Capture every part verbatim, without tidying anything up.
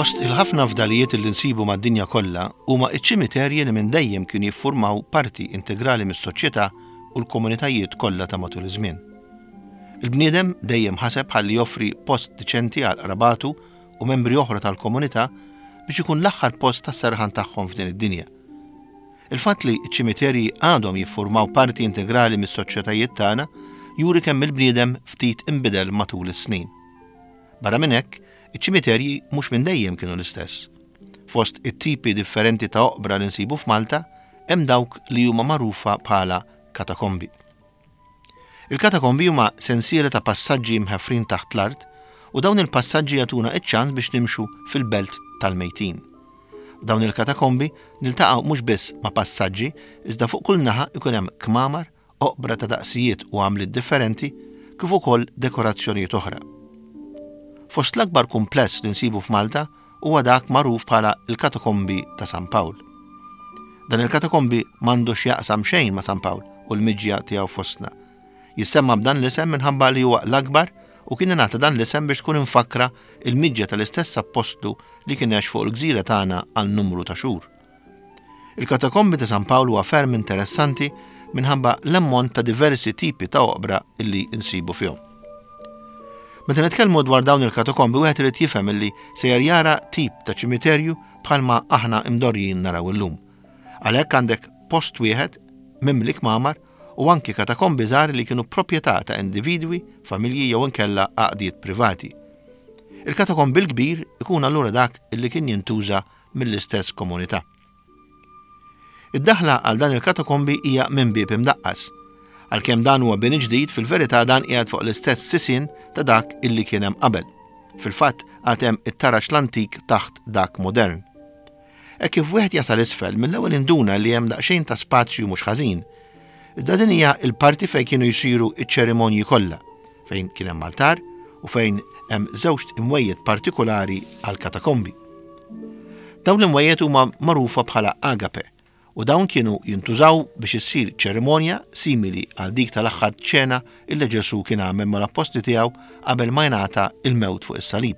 Fost il-ħafna fdalijiet li nsibu mad-dinja kollha huma ċ-ċimiterji li minn dejjem kienu jiffurmaw parti integrali mis-soċjetà u l-komunitajiet kollha ta' matul iż-żmien. Il-bniedem dejjem ħaseb ħalli joffri post diċenti għal qrabatu u membri oħra tal-komunità biex ikun l-aħħar post tas-serħan tagħhom f'din id-dinja. Il-fatt li ċ-ċimiterji għadhom jiffurmaw parti integrali mis-soċjetajiet tagħna juri kemm il-bniedem ftit inbidel matul is-snin. Barra minn hekk, iċ-ċimiterji mhux minn dejjem kienu l-istess. Fost it-tipi differenti ta' oqbra li nsibu f'Malta, hemm dawk li huma magħrufa bħala katakombi. Il-katakombi huma sensiela ta' passaġġi mħeffrin taħt l-art u dawn il-passaġġi jagħtuna iċ-ċans biex nimxu fil-belt tal-mejtin. F'dawn il-katakombi niltaqgħu mhux biss ma' passaġġi, iżda fuq kull naħa ikun hemm kmamar, oqbra ta' daqsijiet u għamliet differenti, kif ukoll dekorazzjonijiet oħra. Fost l-akbar kumpless li nsibu f'Malta huwa dak magħruf bħala l-Katakombi ta' San Pawl. Dan il-katakombi m'għandu x'jaqsam xejn ma' San Pawl u l-miġja tiegħu fostna. Jissemma b'dan l-isem minħabba li huwa l-akbar u kien ingħata dan l-isem biex tkun imfakkra il-miġja tal-istess appostlu li kien għex fuq il-gżira tagħna għal numru ta' xhur. Il-katakombi ta' San Pawl huwa ferm interessanti minħabba l-ammont ta' diversi tipi ta' oqbra illi nsibu fihom. Meta nitkellmu dwar dawn il-katakombi wieħed irid jifhem illi sejjer jara tip ta' ċimiterju bħalma aħna imdorrijin naraw illum. Għalhekk għandek post wieħed mimli kmamar u anki katakombi żgħar li kienu proprjetà ta' individwi, familji jew inkella għaqdiet privati. Il-katakombi l-kbir ikun allura dak illi kien jintuża mill-istess komunità. Id-daħla għal dan il-katakombi hija minn bieb imdaqqas. Għalkemm dan huwa bini ġdid, fil-verità dan qiegħed fuq l-istess sisien ta' dak illi kien hemm qabel. Fil-fatt għad hemm it-taraġ l-antik taħt dak modern. Hekk kif wieħed jasal isfel, mill-ewwel induna li hemm daqsxejn ta' spazju mhux ħażin. Iżda din hija l-parti fejn kienu jsiru ċ-ċerimonji kollha, fejn kien hemm altar u fejn hemm żewġ imwejjed partikolari għal katakombi. Dawn l-imwejjed huma magħrufa bħala agape u dawn kienu jintużaw biex issir ċerimonja simili għal dik tal-aħħar ċena illi Ġesù kien għamel mal-appostli tiegħu qabel ma jingħata il-mewt fuq is-salib.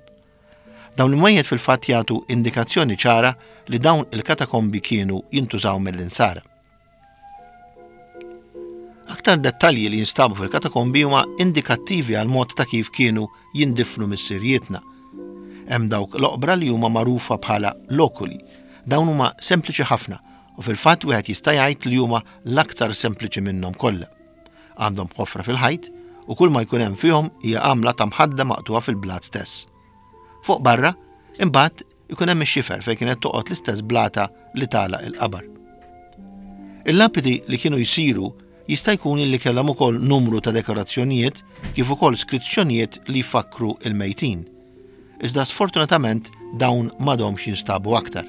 Dawn l-imwejjed fil-fatt jagħtu indikazzjoni ċara li dawn il-katakombi kienu jintużaw mill-insara. Aktar dettalji li jinstabu fil-katakombi huma indikattivi għal mod ta' kif kienu jindifnu missirijietna. Hemm dawk l-oqbra li huma magħrufa bħala lokuli. Dawn huma sempliċi ħafna u fil-fatt wieħed jista' jgħid li huma l-aktar sempliċi minnhom kollha. Għandhom ħofra fil-ħajt u kull ma jkun hemm fihom hija għamla ta' mħadda maqtuha fil-blat stess. Fuq barra, imbagħad ikun hemm ix-xifer fejn kienet toqgħod l-istess blata li tagħlaq il-qabar. Il-lapidi li kienu jsiru jista' jkun li kellhom ukoll numru ta' dekorazzjonijiet kif ukoll skrizzjonijiet li jfakkru il-mejtin. Iżda sfortunatament dawn m'għadhomx jinstabu aktar.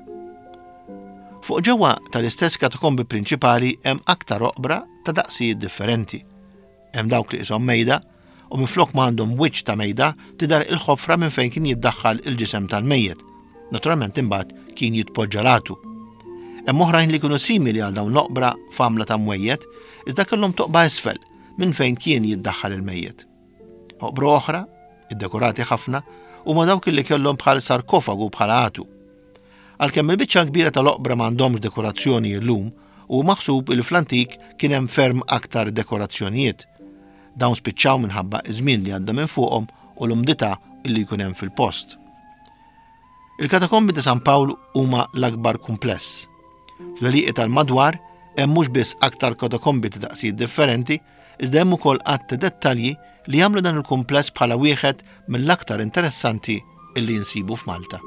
Fuq ġewwa tal-istess katakombi prinċipali hemm aktar oqbra ta' daqsijiet differenti. Hemm dawk li qishom mejda u minflok ma għandhom wiċċ ta' mejda tidher il-ħofra minn fejn kien jiddaħħal il-ġisem tal-mejjet. Naturalment imbagħad kien jitpoġġa l-għatu. Hemm oħrajn li kienu simili għal dawn l-oqbra f'għamla ta' mwejjed, iżda kellhom toqba isfel minn fejn kien jiddaħħal il-mejjet. Oqbra oħra, iddekorati ħafna, huma dawk li kellhom bħal sarkofagu bħala għatu. Għalkemm il-biċċa kbira tal-oqbra m'għandhomx dekorazzjoni llum, u maħsub li fl-antik kien hemm ferm aktar dekorazzjonijiet. Dawn spiċċaw minħabba iż-żmien li għadda minn fuqhom u l-umdità illi jkun hemm fil-post. Il-katakombi ta' San Pawl huma l-akbar kumpless. Fl-għelieqi tal-madwar hemm mhux biss aktar katakombi ta' daqsijiet differenti, iżda hemm ukoll għadd ta' dettalji li jagħmlu dan il-kumpless bħala wieħed mill-aktar interessanti illi jinsibu f'Malta.